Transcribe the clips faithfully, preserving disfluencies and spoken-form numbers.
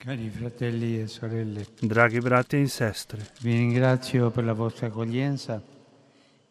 Cari fratelli e sorelle, Dragi bratje in sestre, vi ringrazio per la vostra accoglienza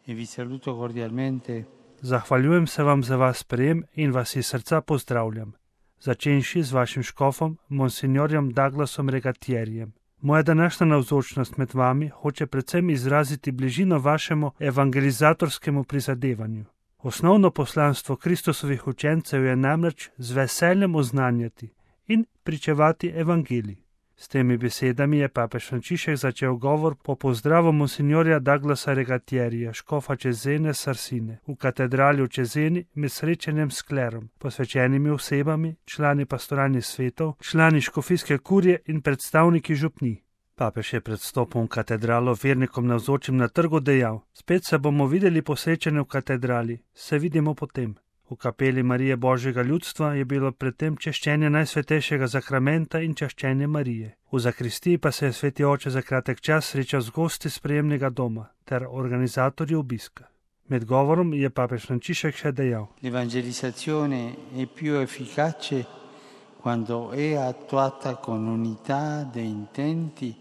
e vi saluto cordialmente zahvaljujem se vam za vaš sprejem in vas iz srca pozdravljam, začenši z vašim škofom, monsignorjem Douglasom Regatierjem. Moja današnja navzočnost med vami hoče predvsem izraziti bližino vašemu evangelizatorskemu prizadevanju. Osnovno poslanstvo Kristusovih učencev je namreč z veseljem oznanjati in pričevati evangelij. S temi besedami je papež Frančišek začel govor po pozdravu monsignorja Douglasa Regatierja, škofa Cesene Sarsine, v katedrali v Ceseni med srečanjem s klerom, posvečenimi osebami, člani pastoralnih svetov, člani škofijske kurije in predstavniki župnij. Papež je pred vstopom v katedralo vernikom navzočim na trgu dejal: Spet se bomo videli po srečanju v katedrali, se vidimo potem. V kapeli Marije Božjega ljudstva je bilo predtem češčenje najsvetejšega zakramenta in češčenje Marije. V zakristiji pa se je sveti oče za kratek čas srečal z gosti sprejemnega doma ter organizatorji obiska. Med govorom je papež Frančišek še dejal: L'evangelizzazione è più efficace quando è attuata con unità di intenti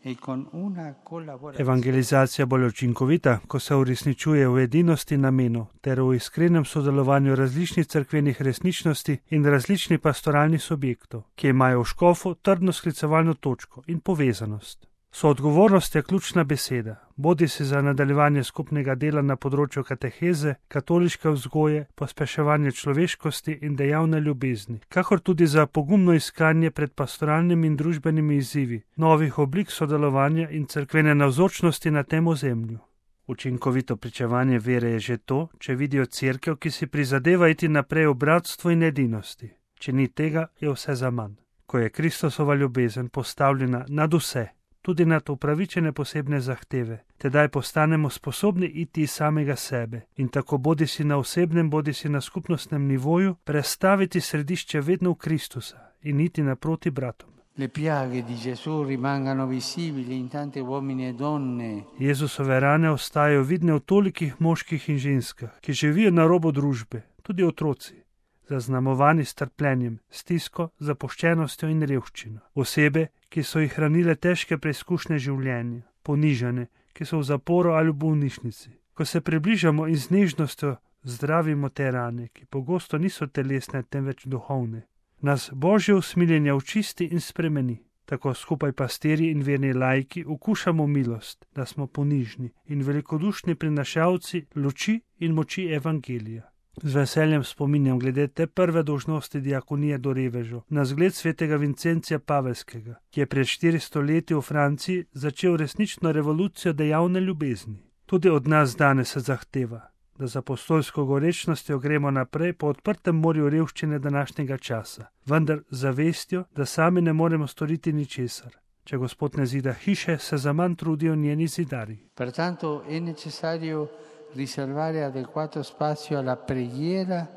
e con una collaborazione. Evangelizacija bolj učinkovita, ko se uresničuje v edinosti namenov ter v iskrenem sodelovanju različnih cerkvenih resničnosti in različnih pastoralnih subjektov, ki imajo v škofu trdno sklicevalno točko in povezanost. Soodgovornost je ključna beseda, bodi si za nadaljevanje skupnega dela na področju kateheze, katoliške vzgoje, pospeševanje človeškosti in dejavne ljubezni, kakor tudi za pogumno iskanje pred pastoralnimi in družbenimi izzivi, novih oblik sodelovanja in cerkvene navzočnosti na tem ozemlju. Učinkovito pričevanje vere je že to, če vidijo cerkev, ki si prizadeva iti naprej v bratstvu in edinosti. Če ni tega, je vse zaman. Ko je Kristusova ljubezen postavljena nad vse, tudi nad upravičene posebne zahteve, tedaj postanemo sposobni iti iz samega sebe in tako bodi si na osebnem, bodi si na skupnostnem nivoju prestaviti središče vedno v Kristusa in iti naproti bratom. Le piaghe di Gesù rimangano visibili in tante uomini e donne. Jezusove rane ostajajo vidne v tolikih moških in ženskah, ki živijo na robu družbe, tudi otroci, zaznamovani s trpljenjem, stisko, zapuščenostjo in revščino. Osebe, ki so jih hranile težke preizkušnje življenja, ponižane, ki so v zaporu ali v bolnišnici. Ko se približamo in z nežnostjo zdravimo te rane, ki pogosto niso telesne, temveč duhovne, nas Božje usmiljenje očisti in spremeni. Tako skupaj pastirji in verni laiki okušamo milost, da smo ponižni in velikodušni prinašalci luči in moči evangelija. Z veseljem spominjam glede te prve dolžnosti diakonije do revežev na zgled svetega Vincencija Pavelskega, ki je pred štiristo leti v Franciji začel resnično revolucijo dejavne ljubezni. Tudi od nas danes se zahteva, da z apostolsko gorečnostjo gremo naprej po odprtem morju revščine današnjega časa, vendar z zavestjo, da sami ne moremo storiti ničesar. Če Gospod ne zida hiše, se zaman trudijo njeni zidarji. Pertanto è necessario riservare adeguato spazio alla preghiera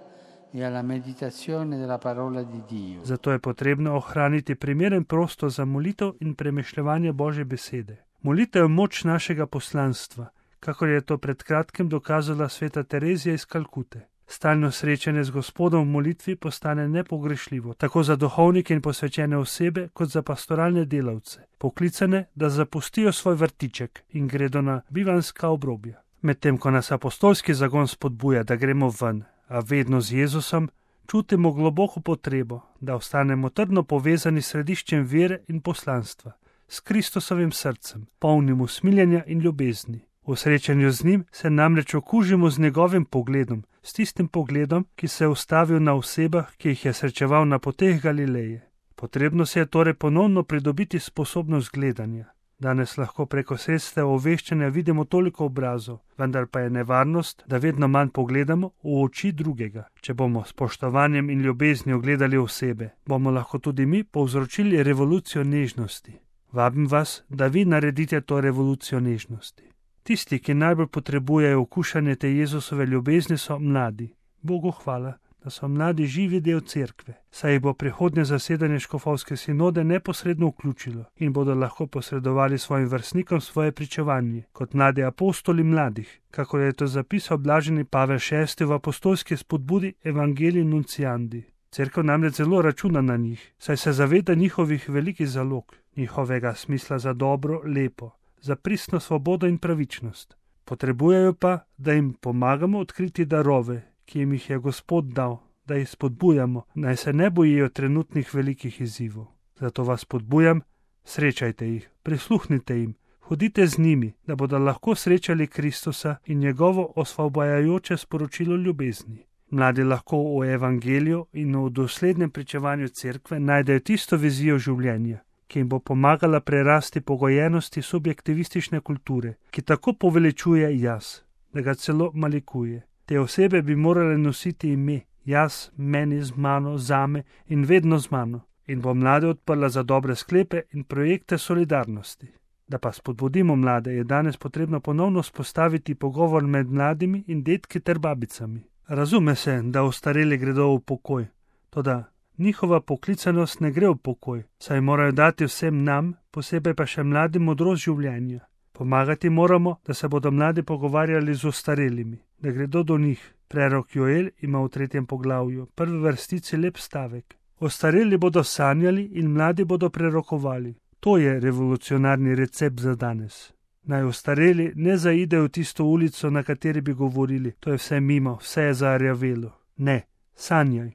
e alla meditazione della parola di Dio. Zato je potrebno ohraniti primeren prostor za molitev in premišljevanje Božje besede. Molitev je moč našega poslanstva, kakor je to pred kratkim dokazala sveta Terezija iz Kalkute. Stalno srečanje z Gospodom v molitvi postane nepogrešljivo, tako za duhovnike in posvečene osebe, kot za pastoralne delavce, poklicane, da zapustijo svoj vrtiček in gredo na bivanska obrobja. Medtem ko nas apostolski zagon spodbuja, da gremo ven, a vedno z Jezusom, čutimo globoko potrebo, da ostanemo trdno povezani s središčem vere in poslanstva, s Kristusovim srcem, polnim usmiljenja in ljubezni. V srečanju z njim se namreč okužimo z njegovim pogledom, s tistim pogledom, ki se je ustavil na osebah, ki jih je srečeval na poteh Galileje. Potrebno se je torej ponovno pridobiti sposobnost gledanja. Danes lahko preko sredstev obveščanja vidimo toliko obrazov, vendar pa je nevarnost, da vedno manj pogledamo v oči drugega. Če bomo s spoštovanjem in ljubeznijo gledali osebe, bomo lahko tudi mi povzročili revolucijo nežnosti. Vabim vas, da vi naredite to revolucijo nežnosti. Tisti, ki najbolj potrebujejo okušanje te Jezusove ljubezni, so mladi. Bogu hvala, da so mladi živi del cerkve, saj jih bo prihodnje zasedanje škofovske sinode neposredno vključilo in bodo lahko posredovali svojim vrstnikom svoje pričevanje, kot mladi apostoli mladih, kakor je to zapisal blaženi Pavel šesti v apostolski spodbudi Evangelii Nunciandi. Cerkev namreč zelo računa na njih, saj se zaveda njihovih velikih zalog, njihovega smisla za dobro, lepo, za pristno svobodo in pravičnost. Potrebujejo pa, da jim pomagamo odkriti darove, ki jim jih je Gospod dal, da jih spodbujamo, naj se ne bojijo trenutnih velikih izzivov. Zato vas spodbujam, srečajte jih, prisluhnite jim, hodite z njimi, da bodo lahko srečali Kristusa in njegovo osvobajajoče sporočilo ljubezni. Mladi lahko v evangeliju in v doslednem pričevanju cerkve najdejo tisto vizijo življenja, ki jim bo pomagala prerasti pogojenosti subjektivistične kulture, ki tako poveličuje jaz, da ga celo malikuje. Te osebe bi morale nositi ime jaz, meni, z mano, zame in vedno z mano, in bo mlade odprla za dobre sklepe in projekte solidarnosti. Da pa spodbudimo mlade, je danes potrebno ponovno spostaviti pogovor med mladimi in detki ter babicami. Razume se, da ostareli gredo v pokoj, toda njihova poklicanost ne gre v pokoj, saj morajo dati vsem nam, posebej pa še mladim, modrost življenja. Pomagati moramo, da se bodo mladi pogovarjali z ostarelimi, da gredo do njih. Prerok Joel ima v tretjem poglavju, prvi vrstici lep stavek. Ostareli bodo sanjali in mladi bodo prerokovali. To je revolucionarni recept za danes. Naj ostareli ne zaidejo v tisto ulico, na kateri bi govorili, to je vse mimo, vse je zarjavelo. Ne, sanjaj.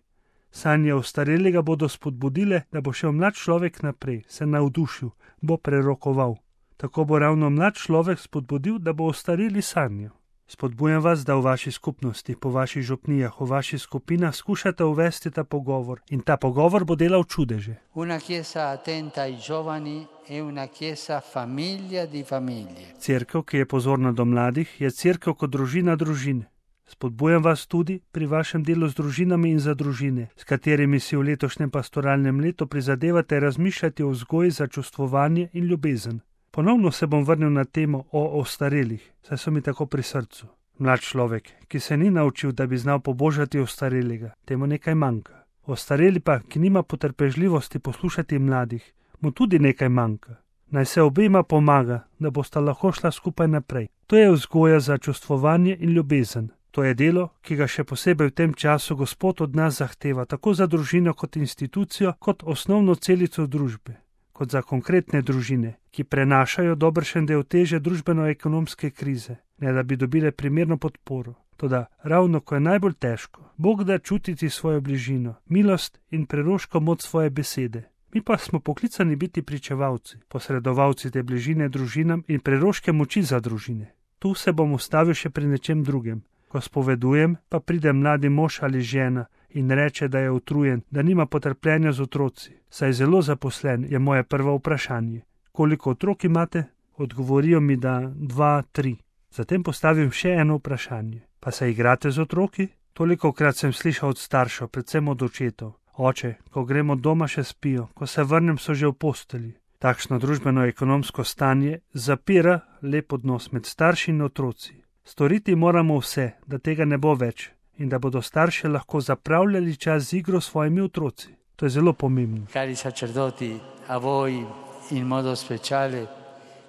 Sanje ostarelega bodo spodbudile, da bo šel mlad človek naprej, se navdušil, bo prerokoval. Tako bo ravno mlad človek spodbudil, da bo ostareli sanjal. Spodbujam vas, da v vaši skupnosti, po vaših župnijah, v vaših skupinah skušate uvesti ta pogovor in ta pogovor bo delal čudeže. Una chiesa attenta ai giovani è una chiesa famiglia di famiglie. Cerkev, ki je pozorna do mladih, je cerkev kot družina družine. Spodbujam vas tudi pri vašem delu z družinami in za družine, s katerimi si v letošnjem pastoralnem letu prizadevate razmišljati o vzgoji za čustvovanje in ljubezen. Ponovno se bom vrnil na temo o ostarelih, saj so mi tako pri srcu. Mlad človek, ki se ni naučil, da bi znal pobožati ostarelega, temu nekaj manjka. Ostareli pa, ki nima potrpežljivosti poslušati mladih, mu tudi nekaj manjka. Naj se obema pomaga, da bosta lahko šla skupaj naprej. To je vzgoja za čustvovanje in ljubezen. To je delo, ki ga še posebej v tem času Gospod od nas zahteva, tako za družino kot institucijo, kot osnovno celico družbe, kot za konkretne družine, ki prenašajo dobršen del teže družbeno-ekonomske krize, ne da bi dobile primerno podporo. Toda ravno ko je najbolj težko, Bog da čutiti svojo bližino, milost in preroško moč svoje besede. Mi pa smo poklicani biti pričevalci, posredovalci te bližine družinam in preroške moči za družine. Tu se bom ustavil še pri nečem drugem. Ko spovedujem, pa pride mladi mož ali žena in reče, da je utrujen, da nima potrpljenja z otroci. Saj zelo zaposlen, je moje prvo vprašanje. Koliko otrok imate? Odgovorijo mi, da dva, tri. Zatem postavim še eno vprašanje. Pa se igrate z otroki? Tolikokrat sem slišal od staršev, predvsem od očetov. Oče, ko gremo doma, še spijo, ko se vrnem, so že v posteli. Takšno družbeno-ekonomsko stanje zapira lep odnos med starši in otroci. Storiti moramo vse, da tega ne bo več in da bodo starši lahko zapravljali čas z igro s svojimi otroci. To je zelo pomembno. Cari sacerdoti, a voi in modo speciale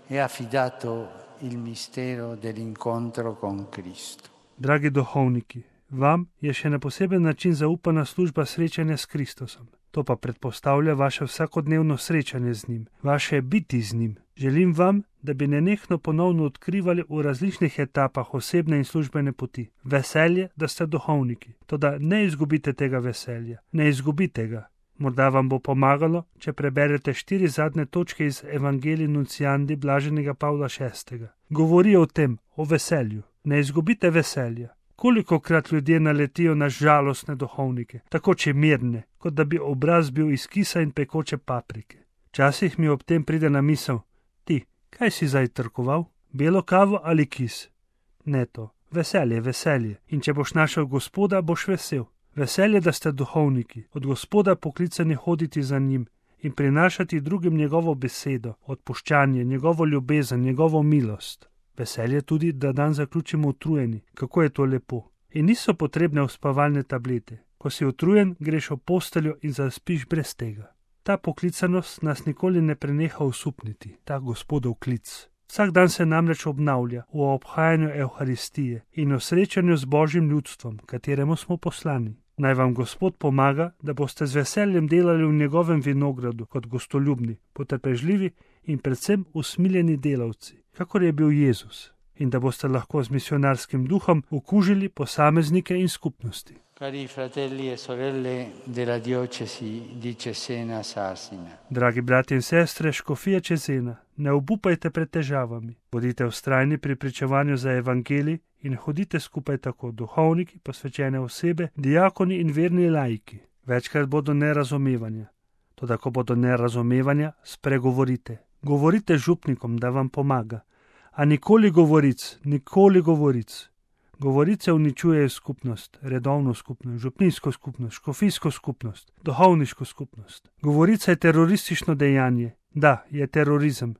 è affidato il mistero dell'incontro con Cristo. Dragi duhovniki, vam je še na poseben način zaupana služba srečanja s Kristusom. To pa predpostavlja vaše vsakodnevno srečanje z njim, vaše biti z njim. Želim vam, da bi nenehno ponovno odkrivali v različnih etapah osebne in službene poti veselje, da ste duhovniki. Toda ne izgubite tega veselja, ne izgubite ga. Morda vam bo pomagalo, če preberete štiri zadnje točke iz Evangelii Nunciandi blaženega Pavla šestega. Govorijo o tem, o veselju. Ne izgubite veselja. Kolikokrat ljudje naletijo na žalostne duhovnike, tako čemirne, kot da bi obraz bil iz kisa in pekoče paprike. Včasih mi ob tem pride na misel, ti, kaj si zdaj trkoval? Belo kavo ali kis? Ne to, veselje, veselje. In če boš našel Gospoda, boš vesel. Veselje, da ste duhovniki, od Gospoda poklicani hoditi za njim in prinašati drugim njegovo besedo, odpuščanje, njegovo ljubezen, njegovo milost. Veselje tudi, da dan zaključimo utrujeni, kako je to lepo. In niso potrebne uspavalne tablete. Ko si utrujen, greš v posteljo in zaspiš brez tega. Ta poklicanost nas nikoli ne preneha osupniti, ta Gospodov klic. Vsak dan se namreč obnavlja v obhajanju Evharistije in v srečanju z Božjim ljudstvom, kateremu smo poslani. Naj vam Gospod pomaga, da boste z veseljem delali v njegovem vinogradu kot gostoljubni, potrpežljivi in predvsem usmiljeni delavci, kakor je bil Jezus, in da boste lahko z misionarskim duhom okužili posameznike in skupnosti. Cari fratelli e sorelle della diocesi di Cesena Sassina. Dragi brati in sestre škofije Cesena, ne obupajte pred težavami, bodite vztrajni pri pričevanju za evangelij in hodite skupaj tako duhovniki, posvečene osebe, diakoni in verni laiki. Večkrat bodo nerazumevanja, toda ko bodo nerazumevanja, spregovorite. Govorite župnikom, da vam pomaga, a nikoli govoric, nikoli govoric. Govorice uničujejo skupnost, redovno skupnost, župnijsko skupnost, škofijsko skupnost, duhovniško skupnost. Govorica je teroristično dejanje. Da, je terorizem.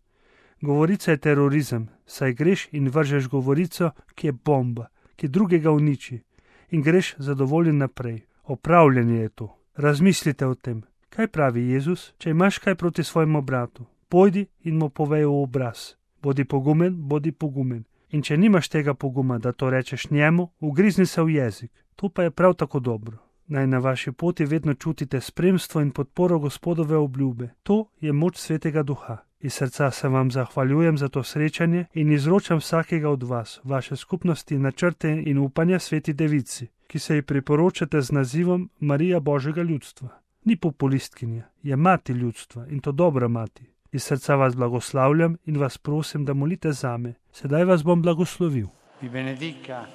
Govorica je terorizem, saj greš in vržeš govorico, ki je bomba, ki drugega uniči, in greš zadovoljen naprej. Opravljanje je to. Razmislite o tem. Kaj pravi Jezus, če imaš kaj proti svojemu bratu? Pojdi in mu povej v obraz. Bodi pogumen, bodi pogumen. In če nimaš tega poguma, da to rečeš njemu, ugrizni se v jezik. To pa je prav tako dobro. Naj na vaši poti vedno čutite spremstvo in podporo Gospodove obljube. To je moč Svetega Duha. Iz srca se vam zahvaljujem za to srečanje in izročam vsakega od vas, vaše skupnosti, načrte in upanja Sveti Devici, ki se ji priporočate z nazivom Marija Božjega ljudstva. Ni populistkinja, je mati ljudstva in to dobra mati. Iz srca vas blagoslavljam in vas prosim, da molite zame. Sedaj vas bom blagoslovil. Vi benedica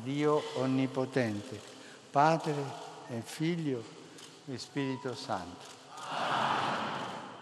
Dio Onnipotente, Padre e Figlio e Spirito Santo.